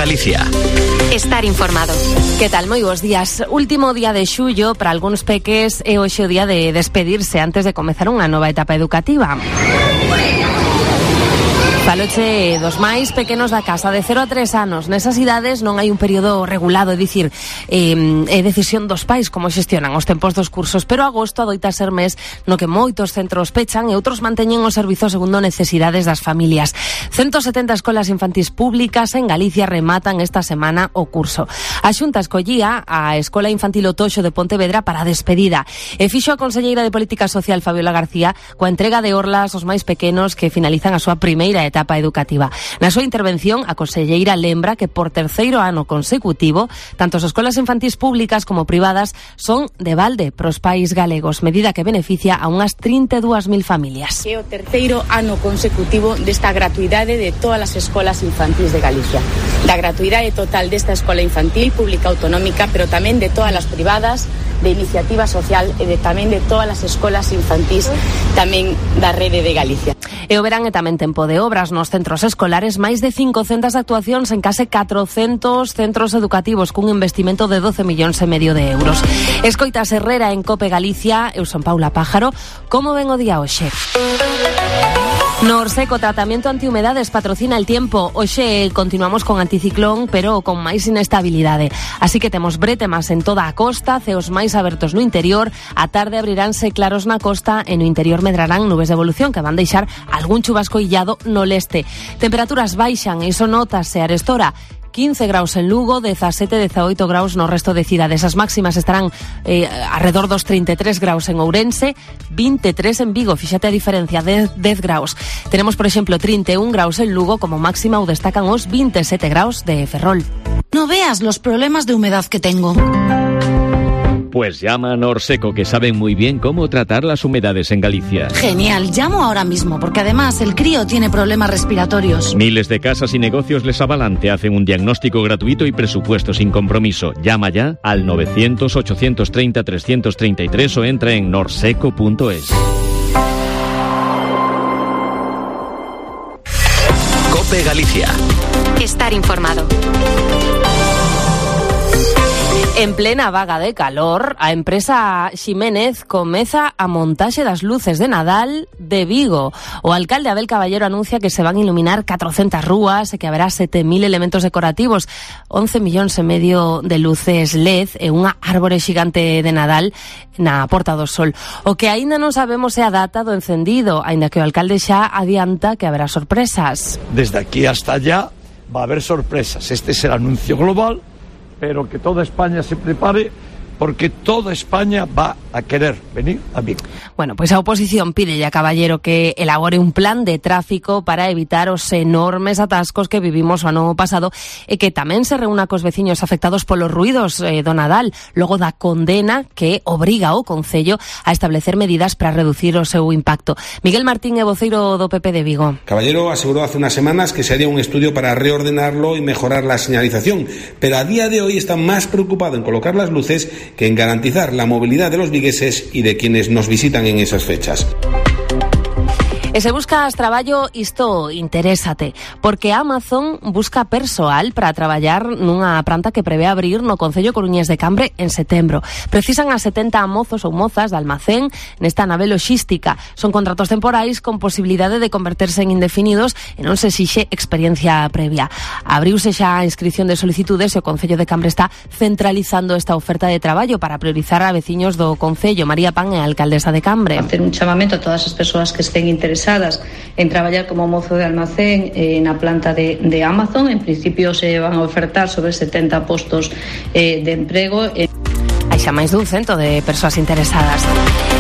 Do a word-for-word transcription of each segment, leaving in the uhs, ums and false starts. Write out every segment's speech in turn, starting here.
Galicia. Estar informado. Que tal? Moi bons días. Último día de xullo para algúns peques e hoxe o día de despedirse antes de comezar unha nova etapa educativa. Faloche dos máis pequenos da casa, de cero a tres anos. Nesas idades non hai un período regulado, é dicir, eh, é decisión dos pais como xestionan os tempos dos cursos, pero agosto adoita ser mes no que moitos centros pechan e outros manteñen o servizo segundo necesidades das familias. ciento setenta escolas infantís públicas en Galicia rematan esta semana o curso. A Xunta escollía a Escola Infantil O Toxo de Pontevedra para a despedida e fixo a conselleira de Política Social Fabiola García coa entrega de orlas aos máis pequenos que finalizan a súa primeira etapa educativa. Na súa intervención, a conselleira lembra que por terceiro ano consecutivo, tanto as escolas infantís públicas como privadas son de balde pros pais galegos, medida que beneficia a unhas trinta e dúas mil familias. É o terceiro ano consecutivo desta gratuidade de todas as escolas infantís de Galicia. Da gratuidade total desta escola infantil pública autonómica, pero tamén de todas as privadas, de iniciativa social e de tamén de todas as escolas infantís tamén da rede de Galicia. E o verán é tamén tempo de obras nos centros escolares, máis de cincocentas actuacións en case catrocentos centros educativos cun investimento de doce millóns e medio de euros. Escoitas Herrera en Cope Galicia, eu son Paula Pájaro. Como ven o día hoxe? No Orseco, tratamento antihumedades patrocina El Tiempo. Hoxe continuamos con anticiclón, pero con máis inestabilidade. Así que temos bretemas en toda a costa, ceos máis abertos no interior. A tarde abriránse claros na costa e no interior medrarán nubes de evolución que van deixar algún chubasco illado no leste. Temperaturas baixan e iso notase a arestora. quince graus en Lugo, dezasete, dezaoito graus no resto de cidades. As máximas estarán eh, alrededor dos trinta e tres graus en Ourense, vinte e tres en Vigo, fíxate a diferencia, de dez graus. Tenemos, por exemplo, trinta e un graus en Lugo como máxima, ou destacan os vinte e sete graus de Ferrol. No veas los problemas de humedad que tengo. Pues llama a Norseco, que saben muy bien cómo tratar las humedades en Galicia. Genial, llamo ahora mismo, porque además el crío tiene problemas respiratorios. Miles de casas y negocios les avalan, te hacen un diagnóstico gratuito y presupuesto sin compromiso. Llama ya al novecientos, ochocientos treinta, trescientos treinta y tres o entra en norseco punto es. Cope Galicia. Estar informado. En plena vaga de calor, a empresa Ximénez comeza a montaxe das luces de Nadal de Vigo. O alcalde Abel Caballero anuncia que se van a iluminar catrocentas rúas e que haberá sete mil elementos decorativos, once millóns e medio de luces L E D e unha árbore xigante de Nadal na Porta do Sol. O que aínda non sabemos é a data do encendido, aínda que o alcalde xa adianta que haberá sorpresas. Desde aquí hasta allá va a haber sorpresas. Este es el anuncio global, pero que toda España se prepare, porque toda España va a querer venir a Vigo. Bueno, pois pues a oposición pídelle a Caballero que elabore un plan de tráfico para evitar os enormes atascos que vivimos o ano pasado e que tamén se reúna cos veciños afectados polos ruidos eh, do Nadal, logo da condena que obriga o Concello a establecer medidas para reducir o seu impacto. Miguel Martín é voceiro do P P de Vigo. Caballero aseguró hace unas semanas que se haría un estudio para reordenarlo y mejorar la señalización, pero a día de hoy está más preocupado en colocar las luces que en garantizar la movilidad de los vigueses y de quienes nos visitan en esas fechas. E se buscas traballo, isto interésate, porque Amazon busca persoal para traballar nunha planta que prevé abrir no Concello coruñés de Cambre en setembro. Precisan a setenta mozos ou mozas de almacén nesta nave loxística. Son contratos temporais con posibilidade de converterse en indefinidos e non se exixe experiencia previa. Abriuse xa a inscripción de solicitudes e o Concello de Cambre está centralizando esta oferta de traballo para priorizar a veciños do Concello. María Pan é a alcaldesa de Cambre. Hacer un chamamento a todas as persoas que estén interesadas en traballar como mozo de almacén eh, na planta de, de Amazon. En principio se van a ofertar sobre setenta postos eh, de emprego. Eh. Hai xa máis dun cento de persoas interesadas.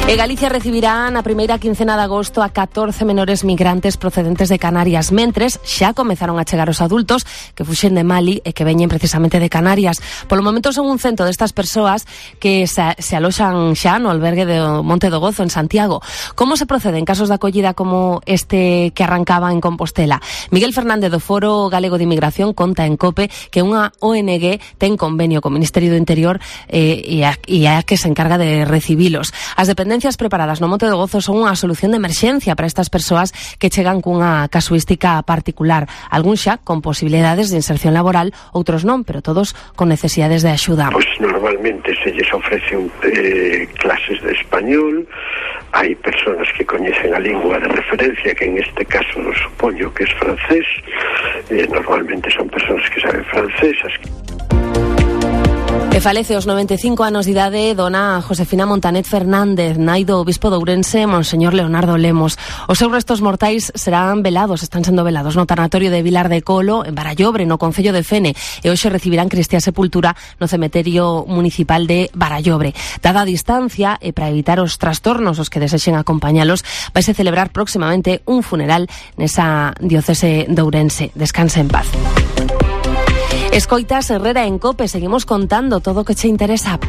E Galicia recibirá na primeira quincena de agosto a catorce menores migrantes procedentes de Canarias, mentres xa comezaron a chegar os adultos que fuxen de Mali e que veñen precisamente de Canarias. Polo momento son un cento destas persoas que se, se aloxan xa no albergue do Monte do Gozo en Santiago. Como se procede en casos de acollida como este que arrancaba en Compostela? Miguel Fernández do Foro Galego de Inmigración conta en COPE que unha O N G ten convenio co Ministerio do Interior eh, e, a, e a que se encarga de recibilos. As dependencias dependencias preparadas no Monte do Gozo son unha solución de emerxencia para estas persoas que chegan cunha casuística particular. Algúns xa con posibilidades de inserción laboral, outros non, pero todos con necesidades de axuda. Pois normalmente se lles ofrece un, eh, clases de español, hai persoas que coñecen a lingua de referencia, que en este caso supoño que es francés, eh, normalmente son persoas que saben francesas. E falece aos noventa e cinco anos de idade dona Josefina Montanet Fernández, nai do bispo de Ourense, Monseñor Leonardo Lemos. Os seus restos mortais serán velados, están sendo velados no tanatorio de Vilar de Colo, en Barallobre, no concello de Fene, e hoxe recibirán cristiá sepultura no cemiterio municipal de Barallobre. Dada a distancia e para evitar os trastornos os que desexen acompañalos, vaise celebrar próximamente un funeral nesa diocese de Ourense. Descanse en paz. Escoitas Herrera en Cope, seguimos contando todo o que che interesa.